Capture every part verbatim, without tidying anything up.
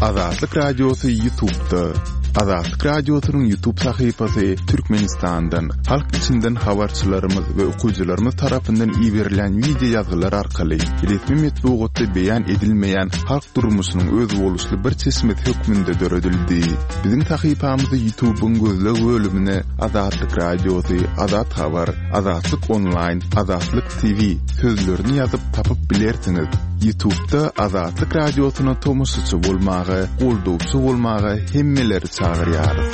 Azatlyk Radiosy Ýutubda. Azatlyk Radiosynyň Ýutub sahypasy Türkmenistandan, halk içinden habarçylarymyz we okyjylarymyz tarapyndan iberilen wideo ýazgylar arkaly resmi metbugatda beýan edilmeýän halk durmuşynyň özboluşly bir çeşmesi hökmünde döredildi. Biziň sahypamyzy Ýutubyň gözleg bölümine Azatlyk Radiosy, Azat Habar, Azatlyk Onlaýn, Azatlyk T V sözlerini ýazyp tapyp bilersiňiz. Ýutubda Azatlyk Radiosyna tomaşaçy bolmaga, goldawçy bolmaga hemmeleri çagyrýarys.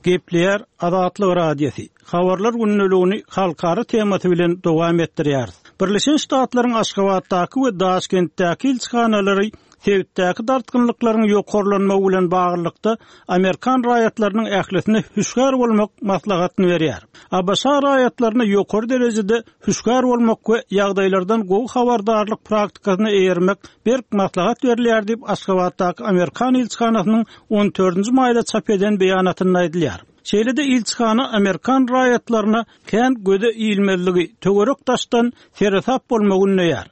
Gepleýär Azatlyk Radiosy. Habarlar gündeligini halkara temasy bilen dowam etdirýär. Birleşen Ştatlaryň Aşgabatdaky we Daşkentdäki ilçihanalary sebitdäki dartgynlyklaryň ýokarlanmagy bilen baglylykda Amerikan raýatlarynyň ählisine hüşgär bolmak maslahatyny berýär. A B Ş raýatlaryna ýokary derejede hüşgär bolmak we ýagdaýlardan gowy habardarlyk praktikasyna eýermek berk maslahat berilýär diýip Aşgabatdaky Amerikan ilçihanasynyň on dördünji maýda çap eden beýanatynda aýdylýar. Şeýle-de ilçihana Amerikan raýatlaryna kän göze ilmezligi, töwerek daşdan seresap bolmagy ündeýär.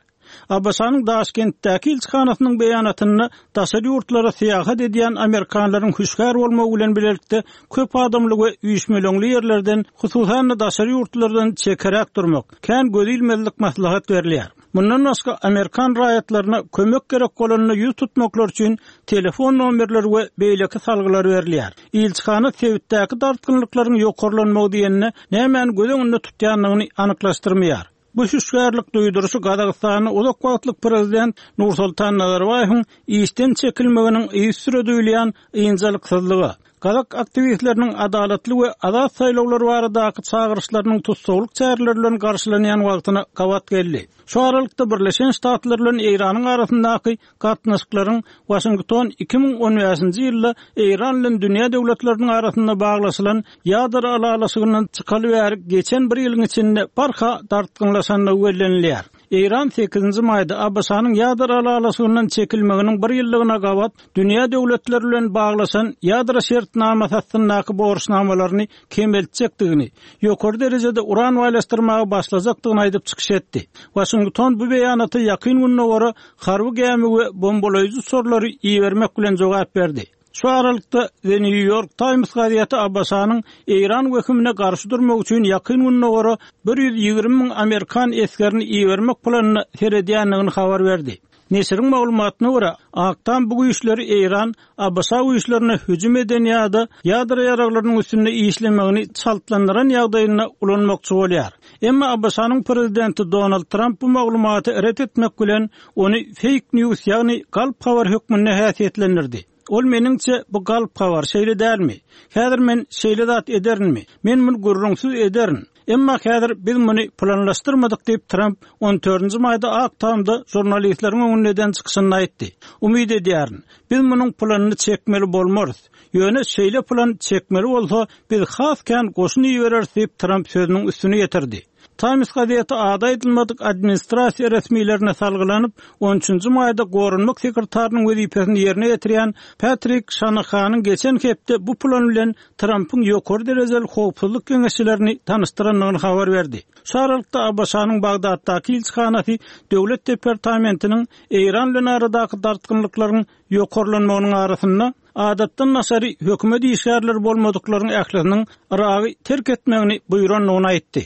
A B Ş-nyň Daşkentdäki ilçihanasynyň beýanatynda daşary ýurtlara syýahat edýän Amerikanlaryň hüşgär bolmagy bilen birlikde köp adamly we üýşmeleňli ýerlerden, hususan-da daşary ýurtlardan çekeräk durmak, kän göz ilmezlik maslahat berilýär. Mundan başga Amerikan raýatlaryna kömek gerek bolanda ýüz tutmaklar üçin telefon nomerleri we beýleki salgylar berilýär. Ilçihana sebitdäki dartgynlyklaryň ýokarlanmagy diýenine nämäni göz öňünde tutýandygyny anyklaşdyrmaýar. Bu hüşgärlik duýduryşy Gazagystanyň uzak wagtlyk prezident Nursultan Nazarbaýewiň işden çekilmeginiň yzysüre duýulýan ynjalyksyzlygy, Gazak aktiwistleriniň adalatly we azat saýlawlar baradaky çagyryşlarynyň tussaglyk çäreleri bilen garşylanýan wagtyna gabat geldi. Şu aralykda Birleşen Ştatlar bilen Eýranyň arasyndaky gatnaşyklaryň Waşington iki müň on bäşinji ýylda Eýran bilen dünýä döwletleriniň arasynda baglaşylan ýadro ylalaşygyndan çykaly bäri geçen bir ýylyň içinde barha dartgynlaşandygy bellenilýär. Eýran sekizinji maýda A B Ş-nyň ýadro ylalaşygyndan çekilmeginiň bir ýyllygyna gabat dünýä döwletleri bilen baglaşan ýadro şertnamasy astyndaky borçnamalaryny kemeltjekdigini, ýokary derejede uran baýlaşdyrmaga başlajakdygyny aýdyp çykyş etdi. Waşington bu beýanata ýakyn gündogara harby gämi we bombalaýjy uçarlary ibermek bilen jogap berdi. Şu aralykda The New York Times gazeti A B Ş-nyň Eýran wehimine garşy durmak üçin ýakyn gündogara bir ýüz ýigrimi müň Amerikan esgerini ibermek planyna seredýändigini habar berdi. Neşiriň maglumatyna görä, Ak Tam bu güýçleri Eýran A B Ş güýçlerine hüjüm eden ýa-da ýadro ýaraglarynyň üstünde işlemegini çaltlandyran ýagdaýynda ulanmakçy bolýar. Emma A B Ş-nyň prezidenti Donald Trump bu maglumaty ret etmek bilen ony fake news, ýagny galp habar hökmünde häsiýetlendirdi. Ol meniňçe bu galp habar şeýle dälmi? Häzir men şeýle zat ederinmi? Men muny gürrüňsiz ederin. Emma häzir biz muny planlaşdyrmadyk diýip Trump on dördünji maýda Ak Tamda žurnalistleriň öňünde eden çykyşynda aýtdy. Umyt edýärin, biz munuň planyny çekmeli bolmarys. Ýöne şeýle plan çekmeli bolsa, biz has kän goşun ibereris diýip Trump sözüniň üstüne getirdi. Times gazeti ady aýdylmadyk administrasiýa resmilerine salgylanyp, on üçünji maýda goranmak sekretarynyň wezipesini ýerine getirýän Patrick Shanahan'yň geçen hepde bu plan bilen Trump'yň ýokary derejeli howpsuzlyk geňeşçilerini tanyşdyrandygyny habar berdi. Şu aralykda A B Ş-nyň Bagdatdaky ilçihanasy Döwlet departamentiniň Eýran bilen aradaky dartgynlyklaryň ýokarlanmagynyň arasynda adatdan daşary hökümet işgärleri bolmadyklaryň ählisiniň Yragy terk etmegini buýrandygyny aýtdy.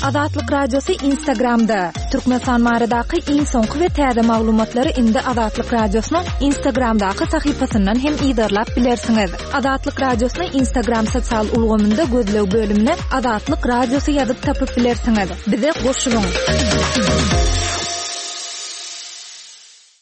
Azatlyk Radiosy Instagramda. Türkmenistan baradaky iň soňky we täze maglumatlary indi Azatlyk Radiosynyň Instagramdaky sahypasyndan hem yzarlap bilersiňiz. Azatlyk Radiosyny Instagram sosial ulgamynda gözleg bölümine Azatlyk Radiosy ýazyp tapyp bilersiňiz. Bize goşulyň.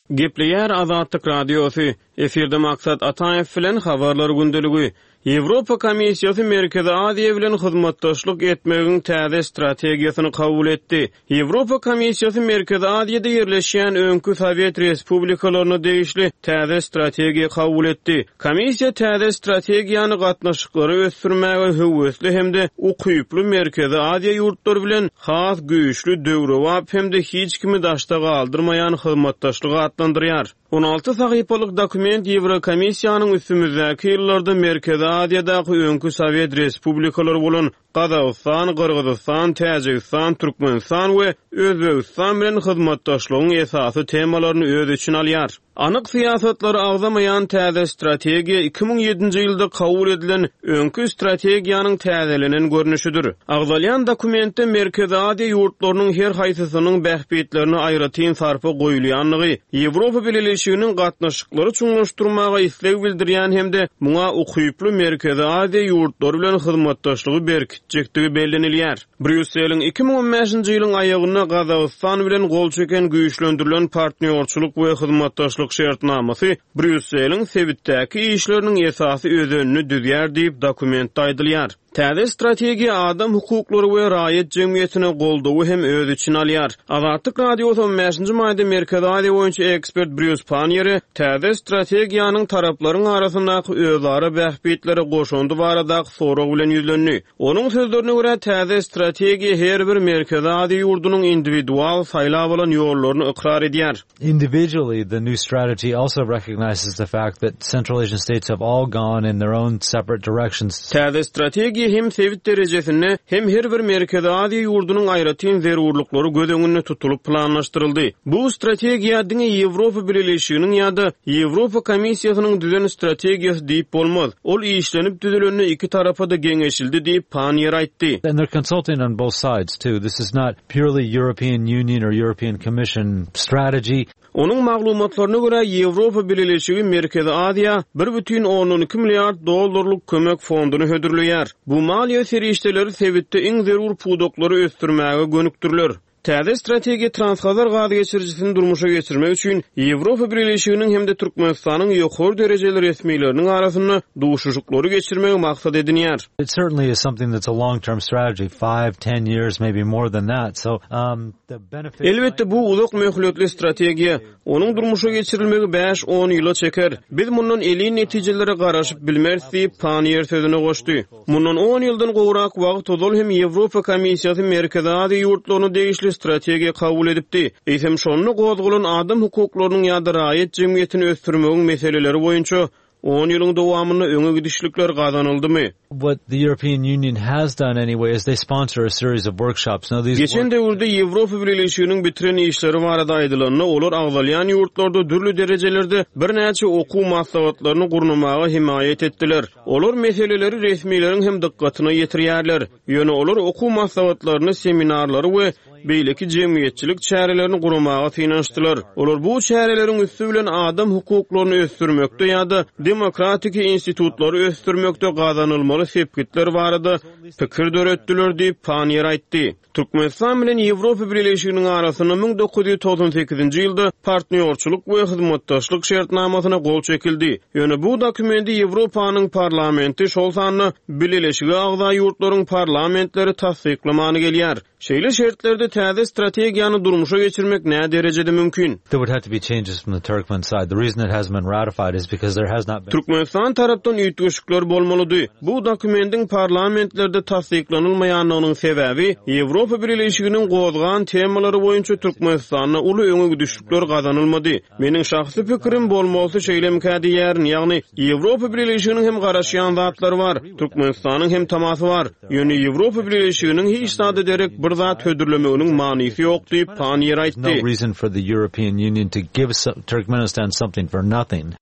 Gepleýär Azatlyk Radiosy. Efirde Maksat Ataýew bilen habarlar gündeligi. Ýewropa Komissiýasy Merkezi Aziýa bilen hyzmatdaşlyk etmegiň täze strategiýasyny kabul etdi. Ýewropa Komissiýasy Merkezi Aziýada ýerleşýän öňki Sowet Respublikalaryna degişli täze strategiýa kabul etdi. Komissiýa täze strategiýany gatnaşyklary ösdürmäge höwesli hem-de ukyply Merkezi Aziýa ýurtlary bilen has güýçli döwrebap hem-de hiç kimi daşda galdyrmaýan hyzmatdaşlyk atlandyrýar. On alty sahypalyk dokument Ýewrokomissiýanyň üstümizdäki ýyllarda Merkezi Aziýadaky öňki Sowet Respublikalary bolan Gazagystan, Gyrgyzystan, Täjigistan, Türkmenistan we Özbegistan bilen hyzmatdaşlygyň esasy temalaryny öz içine alýar. Anyk syýasatlary agzamaýan täze strategiýa iki müň ýedinji ýylda kabul edilen öňki strategiýanyň täzelenen görnüşidir. Agzalýan dokumentde Merkezi Aziýa ýurtlarynyň her haýsysynyň bähbitlerine aýratyn sarpa goýulýandygy, Ýewropa Bileleşiginiň gatnaşyklary çuňlaşdyrmaga isleg bildirýän hem-de muňa ukyply Merkezi Aziýa ýurtlary bilen hyzmatdaşlygy berkitjekdigi bellenilýär. Brýusseliň iki müň on bäşinji ýylyň aýagynda Gazagystan bilen gol çeken güýçlendirilen partnýorçylyk we hyzmatdaşlyk şertnamasy Brýusseliň sebitdäki işleriniň esasy özenini düzýär diýip dokumentde aýdylýar. Täze strategiýa adam hukuklary we raýat jemgyýetine goldawy hem öz içine alýar. Azatlyk Radiosy on bäşinji maýda Merkezi Aziýa boýunça ekspert Brýus Panniýere täze strategiýanyň taraplaryň arasyndaky özara bähbitlere goşandy baradaky sorag bilen ýüzlendi. Onuň sözlerine görä täze strategiýa her bir Merkezi Aziýa ýurdunyň individual saýlap alan ýollaryny ykrar edýär. Individually, the new strategy also recognizes the fact that Central Asian states have all gone in their own separate directions. Täze strategiýa hem sebit derejesinde hem her bir Merkezi Aziýa ýurdunyň aýratyn zerurlyklary göz öňünde tutulyp planlaşdyryldy. Bu strategiýa diňe Ýewropa Bileleşiginiň ýa-da Ýewropa Komissiýasynyň düzen strategiýasy diýip bolmaz. Ol işlenip düzülende iki tarapa-da geňeşildi diýip Panniýer aýtdy. And they're consulting on both sides too. This is not purely European Union or European Commission strategy. Onuň maglumatlaryna görä Ýewropa Bileleşigi Merkezi Aziýa bir bütin ondan iki milliard dollarlyk kömek fonduny hödürleýär. Bu maliýe serişdeleri sebitde iň zerur pudaklary ösdürmäge gönükdiriler. Täze strategiýa Transhazar gaz geçirijisini durmuşa geçirmek üçin Ýewropa Bileleşiginiň hem-de Türkmenistanyň ýokary derejeli resmileriniň arasynda duşuşyklary geçirmegi maksat edinýär. It certainly is something that's a long-term strategy, five, ten years, maybe more than that. So, um, the benefit Elbetde bu uzak möhletli strategiýa. Onuň durmuşa geçirilmegi bäş on ýyla çeker. Biz mundan elin netijelere garaşyp bilmeris diýip Panniýer sözüne goşdy. Mundan on ýyldan gowrak wagt ozal hem Ýewropa Komissiýasy Merkezi Aziýa ýurtlaryna degişli strategiýa kabul edipdi. Eýsem şonda gozgalan adam hukuklarynyň ýa-da raýat jemgyýetini ösdürmegiň meseleleri boýunça on ýylyň dowamynda öňe gidişlikler gazanyldymy? What the European Union has done anyway is they sponsor a series of workshops. Now these Geçen döwürde Ýewropa Bileleşiginiň bitiren işleri barada aýdylanda, olar agzalýan ýurtlarda dürli derejelerde birnäçe okuw maslahatlaryny gurnamaga himaýat etdiler. Olar meseleleri resmileriň hem dykgatyna ýetirýärler. Ýöne olar okuw maslahatlaryny, seminarlary we beýleki jemgyýetçilik çärelerini guramaga synanyşdylar. Olar bu çäreleriň üsti bilen adam hukuklaryny ösdürmekde ýa-da demokratik institutlary ösdürmekde gazanylmaly sepgitler barada pikir döretdiler diýip Panniýer aýtdy. Türkmenistan bilen Ýewropa Bileleşiginiň arasynda müň dokuz ýüz togsan sekizinji ýylda partnýorçylyk we hyzmatdaşlyk şertnamasyna gol çekildi. Ýöne bu dokumenti Ýewropanyň parlamenti, şol sanda Bileleşige agza ýurtlaryň parlamentleri tassyklamany gelýär. Şeýle şertlerde täze strategiýany durmuşa geçirmek nä derejede mümkin? There would have to be changes from the Turkmen side. The reason it hasn't been ratified is because there has not been Türkmenistan tarapdan üýtgeşikler bolmalydy. Bu dokumentiň parlamentlerde tassyklanylmaýanlygynyň sebäbi Ýewropa Bileleşiginiň gozgan temalary boýunça Türkmenistanda uly öňe gidişlikler gazanylmady. Meniň şahsy pikirim bolmasy şeýlemkä diýýärin, ýagny Ýewropa Bileleşiginiň hem garaşýan zatlary bar, Türkmenistanyň hem tamasy bar. Ýöne Ýewropa Bileleşiginiň hiç zada derek bir zat hödürlemeginiň manysy ýok diýip Panniýer aýtdy. No reason for the European Union to give Turkmenistan something for nothing.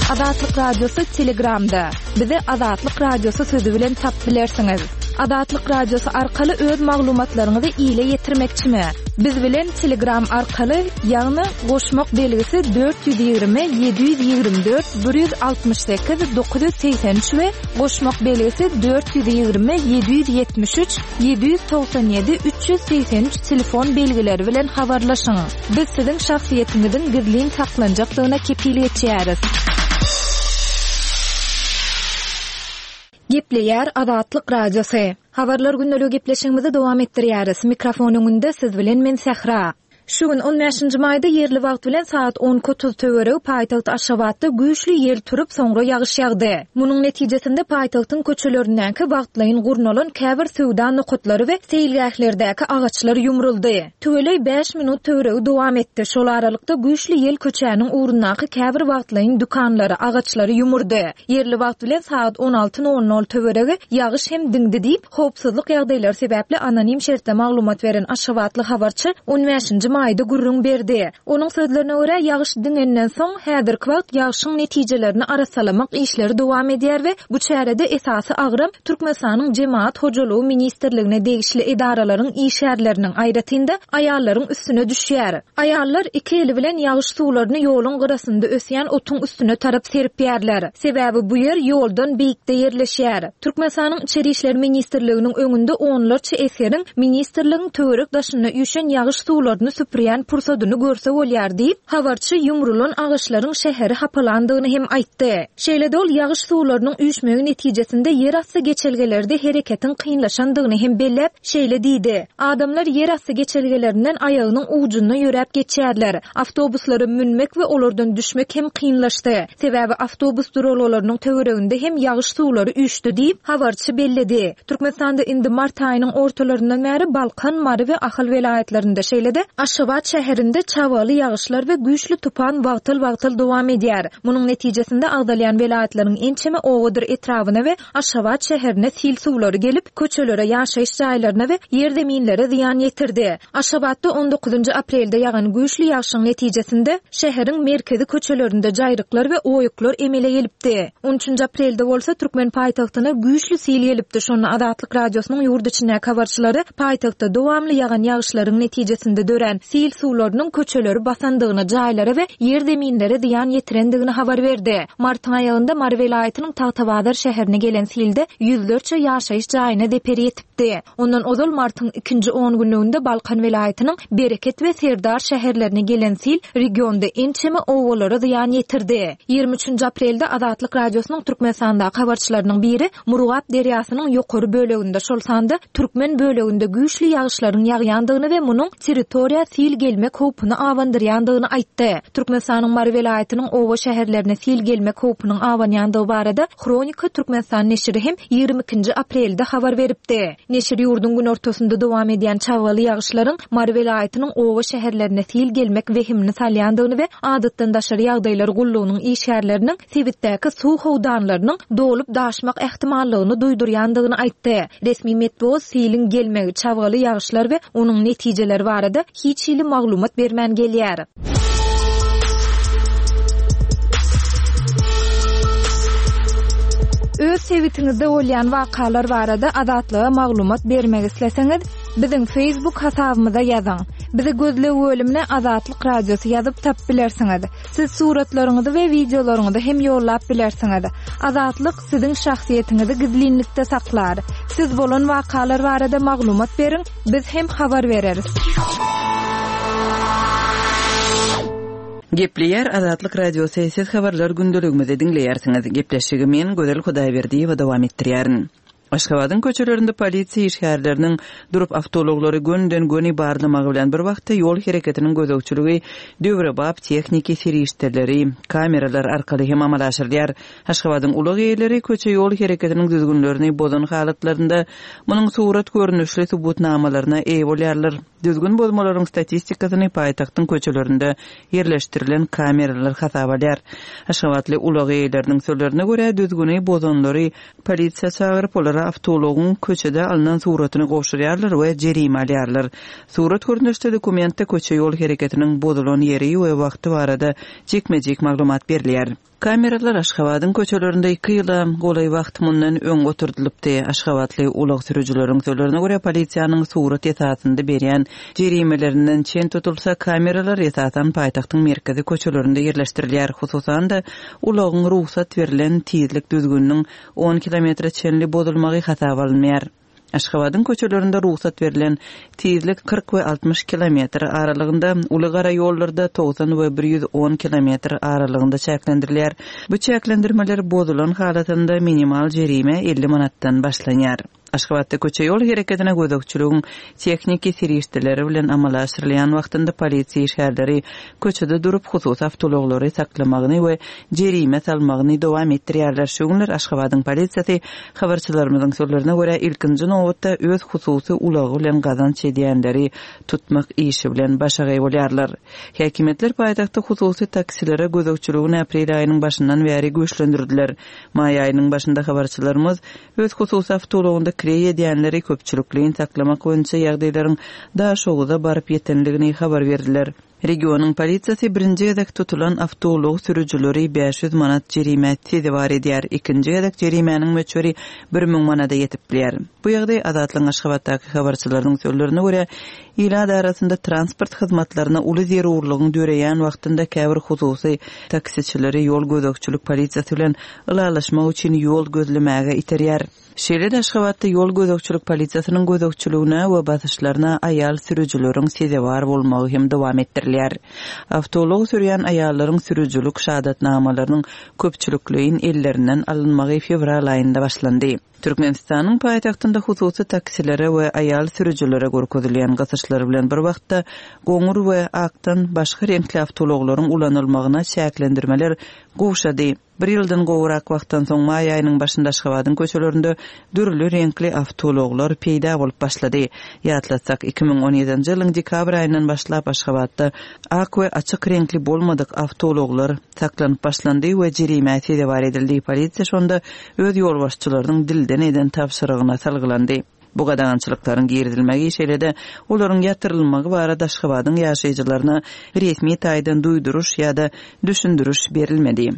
Azatlyk Radiosy Telegramda. Bizi Azatlyk Radiosy sözü bilen tap bilersiňiz. Azatlyk Radiosy arkaly öz maglumatlaryňyzy ile ýetirmekçimi? Biz bilen Telegram arkaly, ýagny goşmak belgisi dört ýüz ýigrimi, ýedi ýüz ýigrimi dört, bir ýüz altmyş sekiz, dokuz ýüz segsen üç we goşmak belgisi dört ýüz ýigrimi, ýedi ýüz ýetmiş üç, ýedi ýüz togsan ýedi, üç ýüz segsen üç telefon belgileri bilen habarlaşyň. Biz siziň şahsyýetiňiziň gizlin saklanjakdygyna kepil geçýäris. Gepleýär Azatlyk Radiosy. Habarlar gündeligi gepleşigimizi dowam etdirýäris. Mikrofon öňünde siz bilen men Sähra. Şu gün on bäşinji maýda ýerli wagt bilen saat on iki otuz töweregi paýtagt Aşgabatda güýçli ýel turup, soňra ýagyş ýagdy. Munuň netijesinde paýtagtyň köçelerindäki wagtlaýyn gurnalan käbir söwda nokatlary we seýilgählerdäki agaçlar ýumruldy. Tüweleý bäş minut töweregi dowam etdi. Şol aralykda güýçli ýel köçäniň ugrundaky käbir wagtlaýyn dükanlary, agaçlary ýumurdy. Ýerli wagt bilen saat on alty nol nol töweregi ýagyş hem diňdi diýip, howpsuzlyk ýagdaýlary sebäpli anonim şertde maglumat beren Aşgabatly habarçy on bäşinji maýda gürrüň berdi. Onuň sözlerine görä, ýagyş diňenden soň häzirki wagt ýagyşyň netijelerini arassalamak işleri dowam edýär we bu çärede esasy agram Türkmenistanyň Jemaat Hojalygy Ministrligine degişli edaralaryň işgärleriniň, aýratyn-da aýallaryň üstüne düşýär. Aýallar iki eli bilen ýagyş suwlaryny ýoluň gyrasynda ösýän otuň üstüne tarap serpýärler. Sebäbi bu ýer ýoldan beýikde ýerleşýär. Türkmenistanyň Içeri İşler Ministrliginiň öňünde onlarça esgeriň ministrligiň töwerek daşynda üýşen ýagyş suwlaryny süpürýän pursadyny görse bolýar diýip, habarçy ýumrulan agaçlaryň şäheri hapalandygyny hem aýtdy. Şeýle-de ol ýagyş suwlarynyň üýşmegi netijesinde ýerasty geçelgelerde hereketiň kynlaşandygyny hem belläp, şeýle diýdi. Adamlar ýerasty geçelgelerinden aýagynyň ujunda ýöräp geçýärler. Awtobuslara münmek we olardan düşmek hem kynlaşdy. Sebäbi awtobus duralgalarynyň töwereginde hem ýagyş suwlary üýşdi diýip, habarçy belledi. Türkmenistanda indi mart aýynyň ortalaryndan bäri Balkan, Mary we Ahal welaýatlarynda, şeýle-de Aşgabat şäherinde çabgaly ýagyşlar we güýçli tupan wagtal-wagtal dowam edýär. Munuň netijesinde agzalýan welaýatlaryň ençeme owadyr etrabyna we Aşgabat şäherine sil suwlary gelip, köçelere, ýaşaýyş jaýlaryna we ýerzeminlere zyýan ýetirdi. Aşgabatda on dokuzynjy aprelde ýagan güýçli ýagyşyň netijesinde şäheriň merkezi köçelerinde jaýryklar we oýuklar emele gelipdi. On üçünji aprelde bolsa Türkmen paýtagtyna güýçli sil gelipdi. Şonda Azatlyk Radiosynyň ýurt içindäki habarçylary paýtagtda dowamly ýagan ýagyşlaryň netijesinde dörän sil suwlarynyň köçeleri basandygyny, jaýlara we ýerzeminlere zyýan ýetirendigini habar berdi. Martyň aýagynda Mary welaýatynyň Tagtabazar şäherine gelen silde ýüzlerçe ýaşaýyş jaýyna zeper ýetipdi. Ondan ozal martyň ikinji on günlüginde Balkan welaýatynyň Bereket we Serdar şäherlerine gelen sil regionda ençeme owalara zyýan ýetirdi. Ýigrimi üçünji aprelde Azatlyk Radiosynyň Türkmenistandaky habarçylarynyň biri Murgap derýasynyň ýokary böleginde, şol sanda Türkmen böleginde güýçli ýagyşlaryň ýagýandygyny we munuň territoriýa sil gelmek howpuny abandyrýandygyny aýtdy. Türkmenistanyň Mary welaýatynyň owa şäherlerine sil gelmek howpunyň abanýandygy barada Hronika Türkmenistan neşiri hem ýigrimi ikinji aprelde habar beripdi. Neşir ýurduň günortasynda dowam edýän çabgaly ýagyşlaryň Mary welaýatynyň owa şäherlerine sil gelmek wehimini salýandygyny we adatdan daşary ýagdaýlar gullugynyň işgärleriniň sebitdäki suw howdanlarynyň dolup daşmak ähtimallygyny duýdurýandygyny aýtdy. Resmi metbugat siliň gelmegi, çabgaly ýagyşlar we onuň netijeleri barada hiç hili maglumat bermän gelýär. Öz sebitiňizde bolýan wakalar barada Azatlyga maglumat bermek isleseňiz, biziň Facebook hasabymyza ýazyň. Bizi gözleg bölümine Azatlyk Radiosy ýazyp tap bilersiňiz. Siz suratlaryňyzy we wideolaryňyzy hem ýollap bilersiňiz. Azatlyk siziň şahsyýetiňizi gizlinlikde saklar. Siz bolan wakalar barada maglumat beriň, biz hem habar bereris. Gepleýär Azatlyk Radiosy, siz habarlar gündeligimizi diňleýärsiňiz. Gepleşigi men Gözel Hudaýberdiýewa dowam etdirýärin. Aşgabadyň köçelerinde polisiýa işgärleriniň durup awtoulaglary gönden-göni barlamagy bilen bir wagtda ýol hereketiniň gözegçiligi döwrebap tehniki serişdeleri, kameralar arkaly hem amala aşyrylýar. Aşgabadyň ulag eýeleri köçe ýol hereketiniň düzgünlerini bozan halatlarynda munuň surat görnüşli subutnamalaryna eýe bolýarlar. Düzgün bozmalaryň statistikasyny paýtagtyň köçelerinde ýerleşdirilen kameralar hasap alýar. Aşgabatly ulag eýeleriniň sözlerine görä düzgüni bozanlary polisiýa çagyryp, olara awtoulagyň köçede alynan suratyny gowşurýarlar we jerime alýarlar. Surat görnüşli dokumentde köçe ýol hereketiniň bozulan ýeri we wagty barada jikme-jik maglumat berilýär. Kameralar Aşgabadyň köçelerinde iki ýyla golaý wagt mundan öň oturdylypdy. Aşgabatly ulag sürüjileriň sözlerine görä polisiýanyň surat esasynda berýän jerimelerinden çen tutulsa, kameralar esasan paýtagtyň merkezi köçelerinde ýerleşdirilýär. Hususan-da ulagyň rugsat berlen tizlik düzgüniniň on kilometre çenli bozulmagy hasaba alynmaýar. Aşgabadyň köçelerinde rugsat berlen tizlik kyrk we altmyş kilometr aralygynda, uly gara ýollarda togsan we bir ýüz on kilometr aralygynda çäklendirilýär. Bu çäklendirmeler bozulan halatynda minimal jerime elli manatdan başlanýar. Aşgabatda köçe ýol hereketine gözegçiligiň tehniki serişdeleri bilen amala aşyrylýan wagtynda polisiýa işgärleri köçede durup hususy awtoulaglary saklamagyny we jerime salmagyny dowam etdirýärler. Şu günler Aşgabadyň polisiýasy habarçylarymyzyň sözlerine görä ilkinji nobatda öz hususy ulagy bilen gazanç edýänleri tutmak işi bilen başagaý bolýarlar. Häkimiýetler paýtagtda hususy taksilere gözegçiligini aprel aýynyň başyndan bäri güýçlendirdiler. Maý aýynyň başynda habarçylarymyz öz hususy awtoulagynda kireý edýänleri köpçülikleýin saklamak boýunça ýagdaýlaryň Daşoguza baryp ýetenligini habar berdiler. Regionyň polisiýasy birinji gezek tutulan awtoulag sürüjileri bäş ýüz manat jerimä sezewar edýär. Ikinji gezek jerimäniň möçberi bir müň manada ýetip bilýär. Bu ýagdaý Azatlygyň Aşgabatdaky habarçylarynyň sözlerine görä, ilat arasynda transport hyzmatlaryna uly zerurlygyň döreýän wagtynda käbir hususy taksiçileri ýol gözegçilik polisiýasy bilen ylalaşmak üçin ýol gözlemäge iterýär. Şeýle-de Aşgabatda ýol gözegçilik polisiýasynyň gözegçiligine we basyşlaryna aýal sürüjileriň sezewar bolmagy hem dowam etdirilýär. Awtoulag sürýän aýallaryň sürüjilik şahadatnamalarynyň köpçülikleýin ellerinden alynmagy fewral aýynda başlandy. Türkmenistanyň paýtagtynda hususy taksilere we aýal sürüjilere görkezilýän gysyşlar bilen bir wagtda goňur we akdan başga reňkli awtoulaglaryň ulanylmagyna çäklendirmeler gowşady. Bir ýyldan gowrak wagtdan soň maý aýynyň başynda Aşgabadyň köçelerinde dürli reňkli awtoulaglar peýda bolup başlady. Ýatlatsak, iki müň on ýedinji ýylyň dekabr aýyndan başlap Aşgabatda ak we açyk reňkli bolmadyk awtoulaglar saklanyp başlandy we jerimä sezewar edildi. Polisiýa şonda öz ýolbaşçylarynyň dilden eden tabşyrygyna salgylandy. Bu gadagançylyklaryň girizilmegi şeýle-de olaryň ýatyrylmagy barada Aşgabadyň ýaşaýjylaryna resmi taýdan duýduryş ýa-da düşündiriş berilmedi.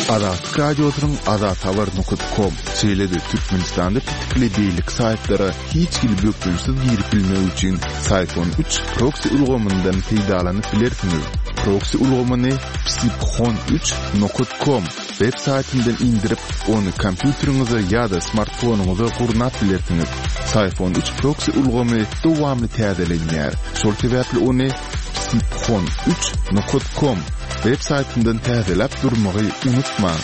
Azatlyk Radiosynyň azathabar nokta com şeýle-de Türkmenistanda petikli beýleki saýtlara hiç hili bökdençsiz girip bilmek üçin Syfon üç proxy ulgamyndan peýdalanyp bilersiňiz. Proxy ulgamyny psiphon üç nokta com web saýtyndan indirip, ony kompýuteriňize ýa-da smartfonyňyza gurnap bilersiňiz. Syfon üç proxy ulgamy dowamly täzelenýär. Şol sebäpli ony psiphon üç nokta com web saýtyndan täzeläp durmagy unutmaň.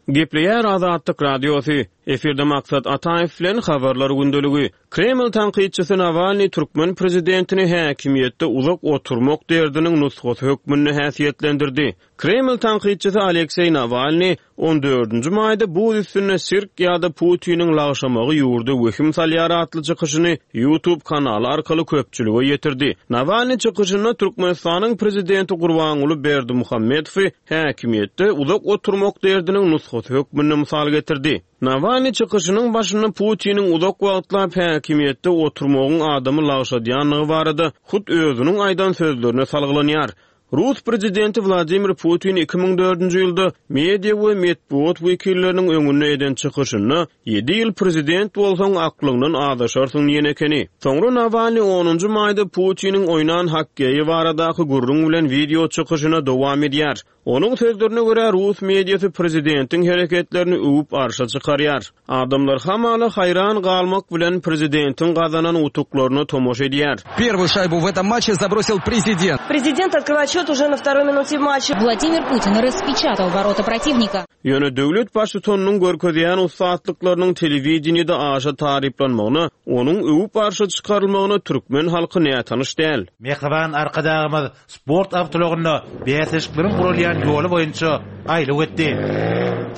Gepleýär Azatlyk Radiosy. Efirde Maksat Ataýew bilen habarlar gündeligi. Kreml tankytçysy Nawalny türkmen prezidentini häkimiýetde uzak oturmak derdiniň nusgasy hökmünde häsiýetlendirdi. Kreml tankytçysy Alekseý Nawalny on dördünji maýda buz üstünde sirk ýa-da Putiniň lagşamagy ýurda wehim salýar atly çykyşyny YouTube kanaly arkaly köpçülige ýetirdi. Nawalny çykyşynda Türkmenistanyň prezidenti Gurbanguly Berdimuhamedowy häkimiýetde uzak oturmak derdiniň nusgasy hökmünde mysal getirdi. Nawalny çykyşynyň başynda Putiniň uzak wagtlap häkimiýetde oturmagyň adamy lagşadýanlygy barada hut özüniň aýdan sözlerine salgylanýar. Rus prezidenti Wladimir Putin iki müň dördünji ýylda media we metbugat wekilleriniň öňünde eden çykyşynda ýedi ýyl prezident bolsaň aklyňdan azaşarsyň diýen ekeni. Soňra Nawalny onunjy maýda Putiniň oýnan hokkeýi baradaky gürrüň bilen video çykyşyna dowam edýär. Onuň sözlerine görä Rus mediasy prezidentiň hereketlerini öwüp arşa çykarýar. Adamlar hamala haýran galmak bilen prezidentiň gazanan utuklaryna tomaşa edýär. Первую шайбу в этом матче забросил президент. Президент открывает счет уже на второй минуте матча. Владимир Путин распечатал ворота противника. Ýöne döwlet baştutanynyň görkezýän ussatlyklarynyň telewideniýede aşa taryplanmagyna, onuň öwüp arşa çykarylmagyna türkmen halky nätanyş däl. Mehriban arkadagymyz sport awtologynda bäsleşikleriň guralýan ýoly boýunça aýlyk etdi.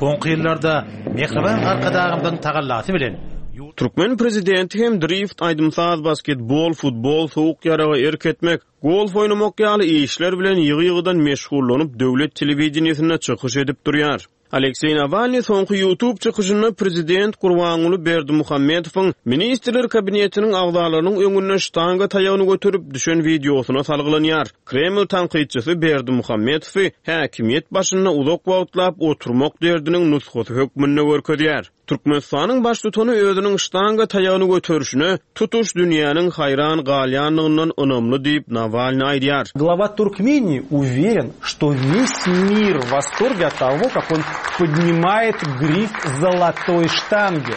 Soňky ýyllarda Mehriban arkadagymyzyň tagallasy bilen Türkmen prezidenti hem drift, aýdym-saz, basketbol, futbol, soğuk ýaraga erk etmek, golf oýnamak ýaly işler bilen ýygy-ýygydan meşgullanyp döwlet telewideniýesinde çykyş edip durýar. Alekseý Nawalny soňky YouTube çykyşynda prezident Gurbanguly Berdimuhamedowyň Ministrler Kabinetiniň agzalarynyň öňünde ştanga taýagyny göterip düşen wideosyna salgylanýar. Kreml tankytçysy Berdimuhamedowy häkimiýet başynda uzak wagtlap oturmak derdiniň nusgasy hökmünde görkezýär. Türkmenistanyň baştutany özüniň ştanga taýagyny göterişine tutuş dünýäniň haýran galýanlygyndan ynamly diýip Nawalny aýdýar. Глава Туркмении уверен, что весь мир в восторге от того, как он поднимает гриф золотой штанги.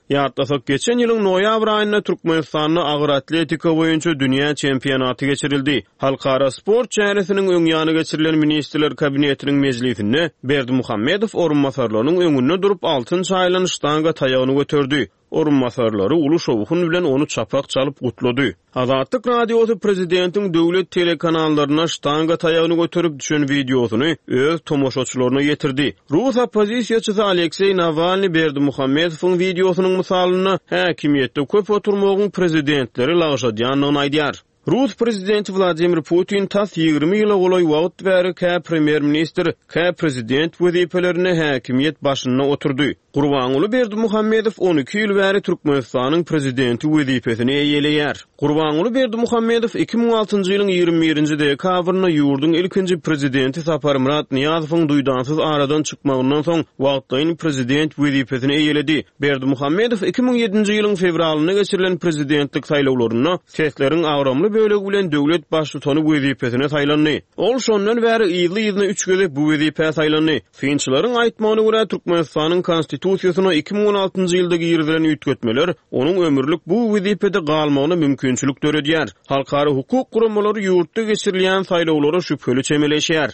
Ýatlasak, geçen ýylyň noýabr aýynda Türkmenistanda agyr atletika boýunça dünýä çempionaty geçirildi. Halkara sport çäresiniň öň ýany geçirilen Ministrler Kabinetiniň mejlisinde Berdimuhamedow orunbasarlarynyň öňünde durup altyn çaýylan ştanga taýagyny göterdi. Orunbasarlary uly şowhun bilen ony çapak çalyp gutlady. Azatlyk Radiosy prezidentiň döwlet telekanallaryna ştanga taýagyny göterip düşen wideosyny öz tomaşaçylaryna ýetirdi. Rus oppozisiýaçysy Alekseý Nawalny Berdimuhamedowyň wideosynyň mysalynda häkimiýetde köp oturmagyň prezidentleri lagşadýandygyny aýdýar. Rus prezidenti Wladimir Putin tas ýigrimi ýyla golaý wagt bäri kä premýer-ministr, kä prezident wezipelerinde häkimiýet başynda oturdy. Gurbanguly Berdimuhamedow on iki ýyl bäri Türkmenistanyň prezidenti wezipesini eýeleýär. Gurbanguly Berdimuhamedow iki müň altynjy ýylyň ýigrimi birinji dekabrynda ýurduň ilkinji prezidenti Saparmyrat Nyýazowyň duýdansyz aradan çykmagyndan soň wagtlaýyn prezident wezipesini eýeledi. Berdimuhamedow iki müň ýedinji ýylyň fewralynda geçirilen prezidentlik saýlawlarynda sesleriň agramly bölegi bilen döwlet baştutany wezipesine saýlandy. Ol şondan bäri yzly-yzyna üç gezek bu wezipä saýlandy. Synçylaryň aýtmagyna görä Türkmenistanyň konstitusiýasyna iki müň on altynjy ýylda girizilen üýtgetmeler onuň ömürlik bu wezipede galmagyna mümkinçilik döredýär. Halkara hukuk guramalary ýurtda geçirilýän saýlawlara şübheli çemeleşýär.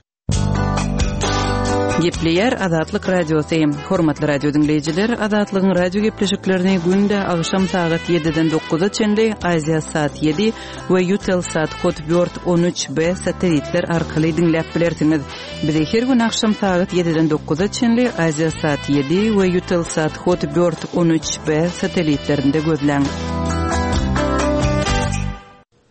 Gepleýär Azatlyk Radiosy. Hormatly radio diňleýjiler, Azatlygyň radio gepleşiklerini günde agşam sagat ýediden dokuza çenli Aziýa saat ýedi we Eutelsat Hotbird on üç B satelitler arkaly diňläp bilersiňiz. Bizi her gün agşam sagat ýediden dokuza çenli Aziýa saat ýedi we Eutelsat Hotbird on üç B satelitlerinde gözläň.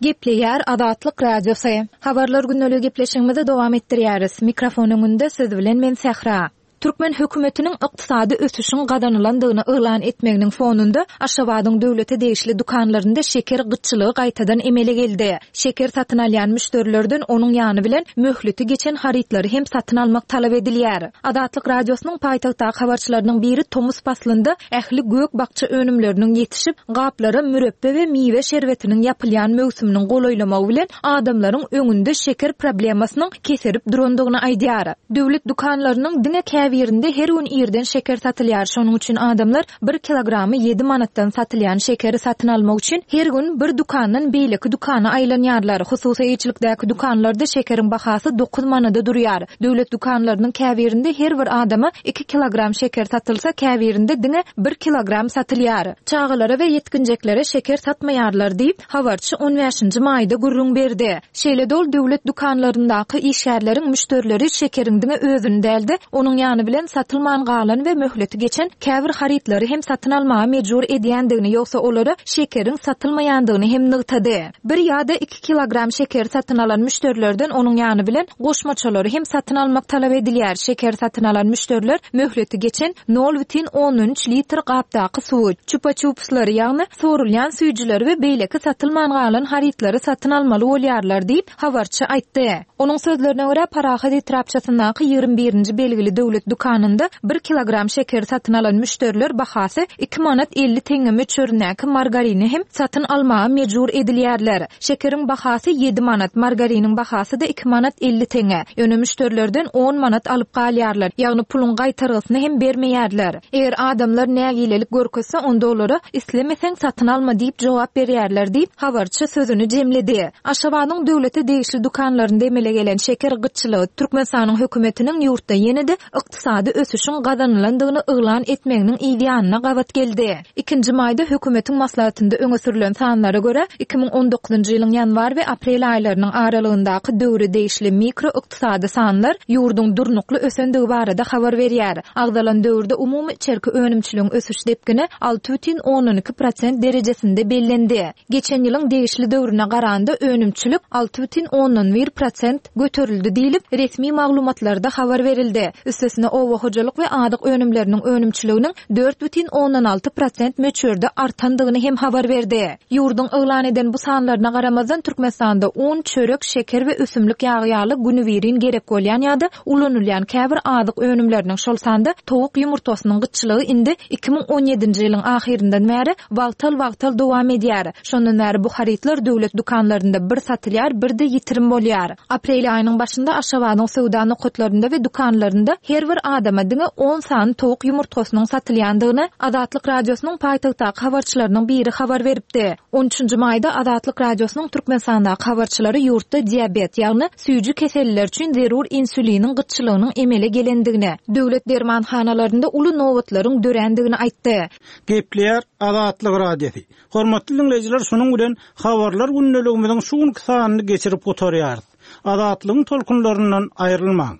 Gepleýär Azatlyk Radiosy. Habarlar gündelik gepleşigimizi dowam etdirýäris. Mikrofon öňünde söz bilen men Sähra. Türkmen hökümetiniň ykdysady ösüşiň gazanylandygyny yglan etmeginiň fonunda Aşgabadyň döwlete degişli dükanlarynda şeker gytçylygy gaýtadan emele geldi. Şeker satyn alýan müşderilerden onuň ýany bilen möhleti geçen harytlary hem satyn almak talap edilýär. Azatlyk Radiosynyň paýtagtdaky habarçylarynyň biri tomus paslynda ähli gök bakça önümleriniň ýetişip, gaplara mürepbe we miwe şerbetiniň ýapylýan möwsüminiň golaýlamagy bilen adamlaryň öňünde şeker problemasynyň keserip durandygyny aýdýar. Döwlet dükanlarynyň diňe käbirinde her gün irden şeker satylýar. Şonuň üçin adamlar bir kilogramy ýedi manatdan satylýan şekeri satyn almak üçin her gün bir dükandan beýleki dükana aýlanýarlar. Hususy eýeçilikdäki dükanlarda şekeriň bahasy dokuz manada durýar. Döwlet dükanlarynyň käbirinde her bir adama iki kilogram şeker satylsa, käbirinde diňe bir kilogram satylýar. Çagalara we ýetginjeklere şeker satmaýarlar diýip, habarçy on bäşinji maýda gürrüň berdi. Şeýle dol döwlet dükanlaryndaky işgärleriň müşderileri şekeriň diňe özüni däldi, onuň ýany bilen satylman galan we möhleti geçen käbir harytlary hem satyn almaga mejbur edýändigini, ýogsa olara şekeriň satylmaýandygyny hem nygtady. Bir ýa-da iki kilogram şeker satyn alan müşderilerden onuň ýany bilen goşmaçalary hem satyn almak talap edilýär. Şeker satyn alan müşderiler möhleti geçen nol bütin ondan üç litr gapdaky suwy, çupa-çupslary, ýagny sorulýan süýjüleri we beýleki satylman galan harytlary satyn almaly bolýarlar diýip habarçy aýtdy. Onuň sözlerine görä Parahat etrapçasyndaky ýigrimi birinji belgili döwlet dükanynda bir kilogram şekeri satyn alan müşderiler bahasy iki manat elli teňňe möçberindäki margarini hem satyn almaga mejbur edilýärler. Şekeriň bahasy ýedi manat, margariniň bahasy da iki manat elli teňňe. Ýöne müşderilerden on manat alyp galýarlar, ýagny puluň gaýtargysyny hem bermeýärler. Eger adamlar nägilelik görkezse, onda olara islemeseň satyn alma diýip jogap berýärler diýip habarçy sözüni jemledi. Aşgabadyň döwlete degişli dükanlarynda emele gelen şeker gytçylygy Türkmenistanyň hökümetiniň ýurtda ýene-de ykdysady ösüşiň gazanylandygyny yglan etmeginiň ýanyna gabat geldi. Ikinji maýda hökümetiň maslahatynda öňe sürülen sanlara görä iki müň on dokuzynjy ýylyň ýanwar we aprel aýlarynyň aralygyndaky döwre degişli mikro ykdysady sanlar ýurduň durnukly ösendigi barada habar berýär. Agzalan döwürde umumy içerki önümçiligiň ösüş depgini alty bütin ondan iki prosent derejesinde bellendi. Geçen ýylyň degişli döwrüne garanda önümçilik alty bütin ondan bir prosent göterildi diýilip resmi maglumatlarda habar berildi. Üstesine oba hojalyk we azyk önümleriniň önümçiliginiň dört bütin ondan alty prosent möçberde artandygyny hem habar berdi. Ýurduň yglan eden bu sanlaryna garamazdan Türkmenistanda un, çörek, şeker we ösümlik ýagy ýaly günübirin gerek bolýan ýa-da ulanylýan käbir azyk önümleriniň şol sanda towuk ýumurtgasynyň gytçylygy indi iki müň on ýedinji ýylyň ahyryndan bäri wagtal-wagtal dowam edýär. Şondan bäri bu harytlar döwlet dükanlarynda bir satylýar, bir de ýitirim bolýar. Aprel aýynyň başynda Aşgabadyň söwda nokatlarynda we dükanlarynda her bir bir adama diňe on sany towuk ýumurtgasynyň satylýandygyny Azatlyk Radiosynyň paýtagtdaky habarçylarynyň biri habar beripdi. On üçünji maýda Azatlyk Radiosynyň Türkmenistandaky habarçylary ýurtda diabet, ýagny süýji keselliler üçin zerur insuliniň gytçylygynyň emele gelendigini, döwlet dermanhanalarynda uly nobatlaryň dörändigini aýtdy. Gepleýär Azatlyk Radiosy. Hormatly diňleýjiler, şunuň bilen habarlar gündeligimiziň şu günki sanyny geçirip gutarýarys. Azatlygyň tolkunlaryndan aýrylmaň.